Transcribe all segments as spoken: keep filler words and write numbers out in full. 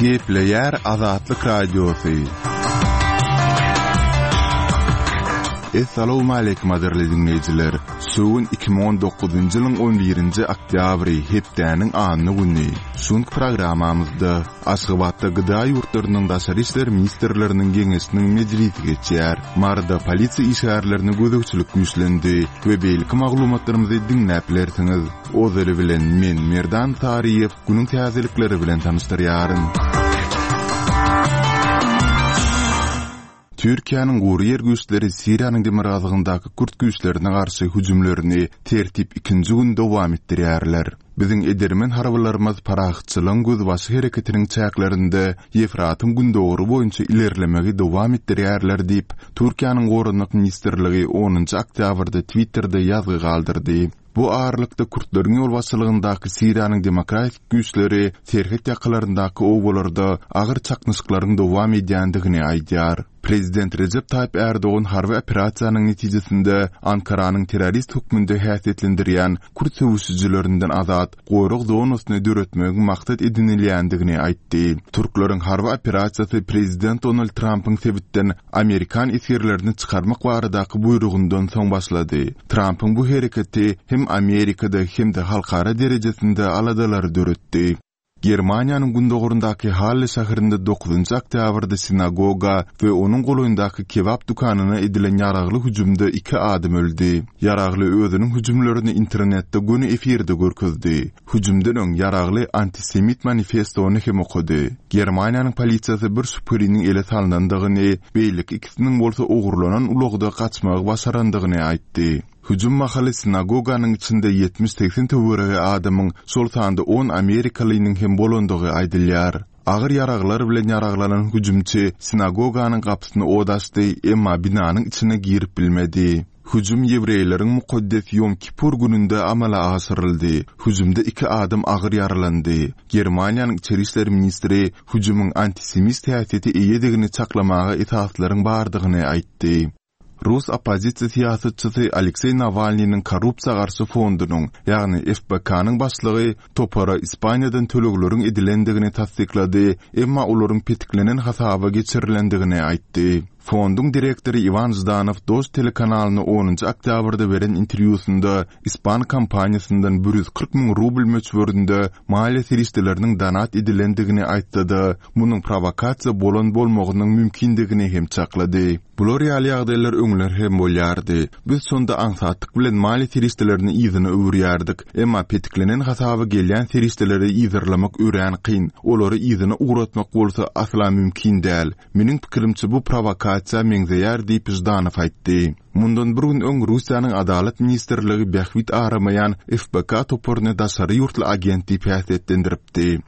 Gepleýär Azatlyk Radiosy. Essalawmaleýkim gadyrly diňleýjiler! Şu gün iki müň on dokuzynjy ýylyň on birinji oktýabry, hepdäniň anna güni. Şu günki programmamyzda Aşgabatda G D A ýurtlarynyň daşary işler ministrleriniň geňeşiniň mejlisi geçýär. Maryda polisiýa işgärlerine gözegçilik güýçlendi we beýleki maglumatlarymyzy diňläp bilersiňiz. Ozaly bilen men Merdan Saryýew günüň täzelikleri bilen tanyşdyrýaryn. Türkiýäniň gury ýer güýçleri Siriýanyň demirgazygyndaky kürt güýçlerine garşy hüjümlerini tertip ikinji gün dowam etdirýärler. Biziň edermen harbylarymyz parahatçylygyň gözbaşy hereketiniň çäklerinde Ýefratyň gündogary boýunça ilerlemegi dowam etdirýärler diýip, Türkiýäniň Goranmak ministrligi onunjy oktýabrda Twitterде ýazgy galdyrdy. Bu aralykda kürtleriň ýolbaşçylygyndaky Siriýanyň demokratik güýçleri serhet ýakalaryndaky obalarda agyr çaknyşyklaryň dowam edýändigini aýdýar. Prezident Recep Tayyip Erdogan harby operasiýanyň netijesinde Ankaranyň terrorist hökmünde häsiýetlendirýän kürt söweşijilerinden azat gorag zonasyny döretmegiň maksat edinilýändigini aýtdy. Türkleriň harby operasiýasy Prezident Donald Trumpyň sebitden Amerikan esgerlerini çykarmak baradaky buýrugyndan soň başlady. Trumpyň bu hereketi hem Amerikada hem-de halkara derejesinde aladalary döretdi. Germaniýanyň gündogurundaky Halle şäherinde dokuzynjy oktýabrda sinagoga we onuň golaýyndaky kebap dükanyna edilen ýaragly hüjümde iki adam öldi. Ýaragly özüniň hüjümlerini internetde göni efirde görkezdi. Hüjümden öň ýaragly antisemit manifestony hem okady. Germaniýanyň polisiýasy bir şübheliniň ele salnandygyny, beýleki ikisiniň bolsa ogurlanan ulagda gaçmagy başarandygyny aýtdy. Hüjüm mahaly sinagoganyň içinde ýetmiş segsen töweregi adamyň, şol sanda on Amerikalynyň hem bolandygy aýdylýar. Agyr ýaraglar bilen ýaraglanan hüjümçi sinagoganyň gapysyny od açdy, emma binanyň içine girip bilmedi. Hüjüm ýewreýleriň mukaddes Ýom Kipur gününde amala aşyryldy. Hüjümde iki adam agyr ýaralandy. Germaniýanyň içeri işler ministri hüjümiň antisemit häsiýeti eýedigini çaklamaga esaslaryň bardygyny aýtdy. Rus oppozisiýa syýasatçysy Aleksey Nawalnynyň korrupsiýa garşy fondunyň, ýagny F B K-nyň başlygy topara Ispaniýadan tölegleriň edilendigini tassyklady, emma olaryň petiklenen hasaba geçirilendigini aýtdy. Fonduň direktory Iwan Ždanow Dost telekanalyna onunjy oktýabrda beren interwýusynda Ispan kompaniýasyndan bir ýüz kyrk müň rubl möçberinde maliýe serişdeleriniň donat edilendigini aýtdy-da, munuň provokasiýa bolan bolmagynyň mümkindigini hem çaklady. Bular ýaly ýagdaýlar öňler hem bolýardy. Biz şonda aňsatlyk bilen maliýe serişdelerini yzyna öwürýärdik. Emma petiklenen hasaba gelýän serişdeleri yzarlamak örän kyn. Olary yzyna ugratmak bolsa asla mümkin däl. Meniň pikirimçe bu provokasiýa meňzeýär diýip Ždanow aýtdy. Mundan bir gün öň Russiýanyň Adalat ministrligi bähbit aramaýan F B K toparyny daşary ýurtly agent diýip häsiýetlendiripdi.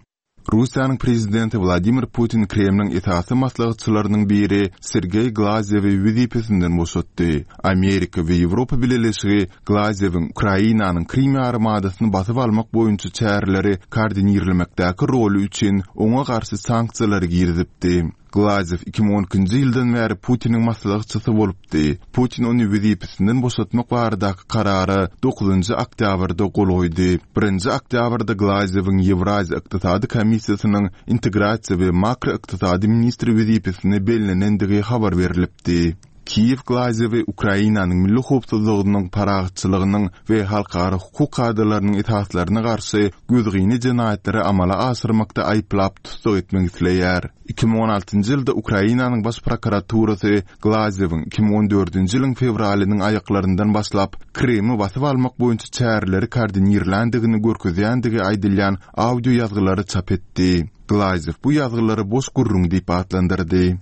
Russiýanyň prezidenti Wladimir Putin Kremliň esasy maslahatçylarynyň biri Sergey Glazyewi wezipesinden boşatdy. Amerika we Ýewropa Bileleşigi Glazyewiň Ukrainanyň Krim ýarymadasyny basyp almak boýunça çäreleri koordinirlemekdäki roly üçin oňa garşy sanksiýalary girizipdi. Glazyew iki müň on ikinji ýyldan bäri Putiniň maslahatçysy bolupdy. Putin ony wezipesinden boşatmak baradaky karara dokuzynjy oktýabrda gol goýdy. Birinji oktýabrda Glazyewiň Ýewraziýa Ykdysady Komissiýasynyň integrasiýa we makroykdysady ministri wezipesine bellenendigi habar berilipdi. Kiýew Glazyewi Ukrainanyň milli howpsuzlygynyň, parahatçylygynyň we halkara hukuk kadalarynyň esaslaryna garşy gözgyny jenaýatlary amala aşyrmakda aýyplap tussag etmek isleýär. iki müň on altynjy ýylda Ukrainanyň baş prokuraturasy Glazyewiň iki müň on dördünji ýylyň fewralynyň aýaklaryndan başlap Krymy basyp almak boýunça çäreleri koordinirländigini görkezýändigi aýdylýan audio ýazgylary çap etdi. Glazyew bu ýazgylary boş gürrüň diýip atlandyrdy.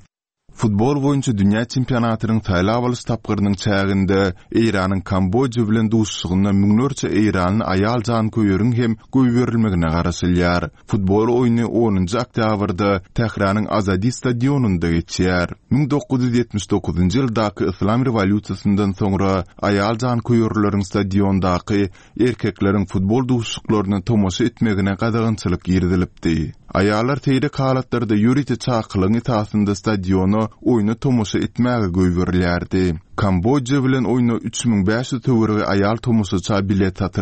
Futbol boýunça dünýä çempionatynyň saýlap alyş tapgyrynyň çäginde Eýranyň Kambodja bilen duşuşygynda müňlerçe eýranly aýal janköýeriň hem goýberilmegine garaşylýar. Futbol oýny onunjy oktýabrda Tähranyň Azadi stadionynda geçýär. Müň dokuz ýüz ýetmiş dokuzynjy ýyldaky Islam rewolýusiýasyndan soňra aýal janköýerleriň stadiondaky erkekleriň futbol duşuşyklaryna tomaşa etmegine gadagançylyk girizilipdi. Aýallar seýrek halatlarda ýörite çakylygyň esasynda stadiona oýna tomaşa etmäge goýberilýärdi. Kambodja bilen oýna üç müň bäş ýüz töweregi aýal tomaşaça bilet satyldy.